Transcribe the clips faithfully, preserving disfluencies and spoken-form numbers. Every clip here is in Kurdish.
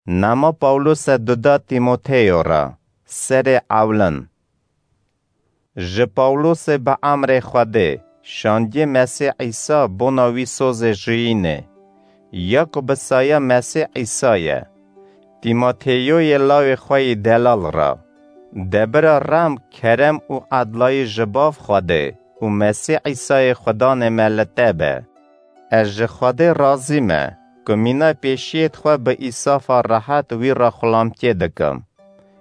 Nama Pawlose duda Tîmoteyo re, serê ewlin. Ji Pawlosê bi emrê Xwedê, şandiyê Mesîh Îsa bona wî sozê jiyînê, ya ku bi saya Mesîh Îsa ye. Tîmoteyoyê lawê xwe yî delal re. Debira rem, kerem û edlayî ji Bav Xwedê û Mesîh Îsayê Xudanê me li te be. Ez ji Xwedê razî me ku mîna pêşiyêd xwe bi îsafa rehet wî re xulamtiyê dikim.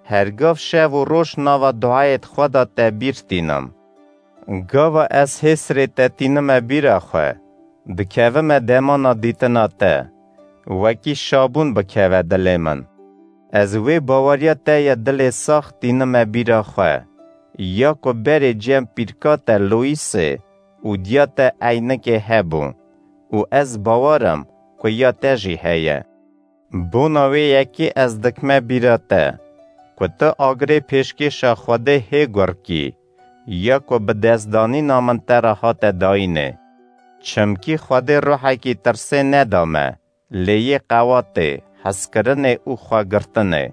Her gav şev û roj nava duayêd xwe de te bîr tînim. Gava ez hêsrê te tînime bîra xwe, dikevime demana dîtina te, wekî şabûn bikeve dilê min. Ez wê baweriya te ye dilê sax tînime bîra xwe, ya ku berê cem pîrka te Loîsê û diya te eynikê hebû û ez bawer im ku ya te jî heye. Bona wê yekê ez dikme bîra te, ku tu agirê pêşkêşa Xwedê hê gur kî, ya ku bi destdanîna min te re hate dayînê. Çimkî Xwedê ruhekî tirsê neda me, lê yê qewatê, hezkirinê û xwegirtinê.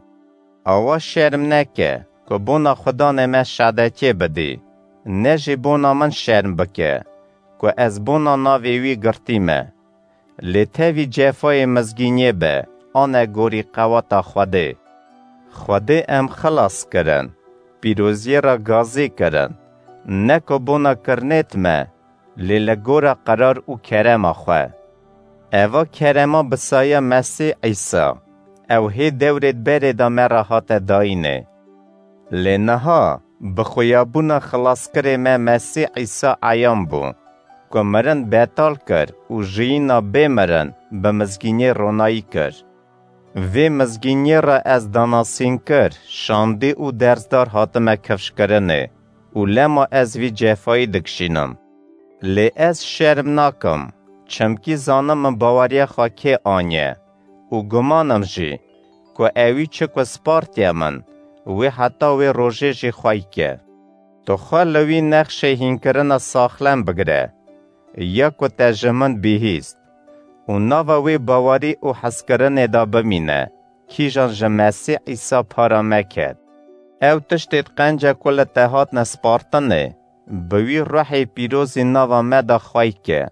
Awa şerm neke, ku bona Xudanê me şadetiyê bidî, ne jî bona min şerm bike, ku ez bona navê wî girtî me. Lê tevî cefayê mizgîniyê be, anegorî qewata Xwedê. Xwedê em xilas kirin, pîroziyê re gazî kirin, ne ku bona kirinêt me, lê li gora qerar û kerema xwe. Eva kerema bi saya Mesîh Îsa, ew hê dewrêd berê de me re hate dayînê. Lê niha bi xuyabûna xilaskirê me Mesîh Îsa eyan bû, ku mirin betal kir û jiyîna bê mirin bi mizgîniyê ronayî kir. Vê mizgîniyê re ez danasînkir, şandî û dersdar hatime kifşkirinê û lema ez vî cefayî dikişînim. Lê ez şerm nakim, çimkî zanim min baweriya xwe kê aniye û guman im jî, ku ewî çi ku spartiye min, wê heta wê rojê jî xwey ke. Tu xwe li wî nexşê hînkirina saxlem bigire, ya ku te ji min bihîst û nava wê bawerî û hezkirinê de bimîne, kîjan ji Mesîh Îsa para me ket. Ew tiştêd qenca ku li te hatine spartinê, bi wî ruhê pîrozî nava me de xwey ke.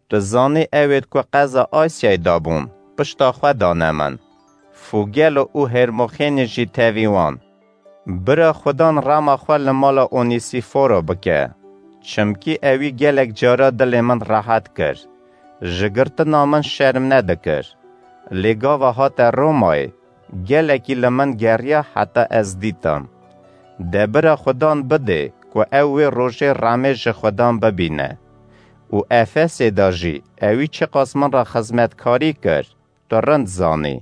Tu zanî ewêd ku qeza Asyayê de bûn, pişta xwe dane min. Fûgelo û Hermoxênî jî tevî wan. Bira Xudan rema xwe li mala Onîsîforo bike, çimkî ewî gelek cara dilê min rehet kir. Ji girtina min şerm nedikir. Lê gava hate Romayê, gelekî li min geriya heta ez dîtim. De bira Xudan bidê ku ew wê rojê remê ji Xudan bibîne. Û Efesê de jî ewî çiqas min re xizmetkarî kir, tu rind zanî.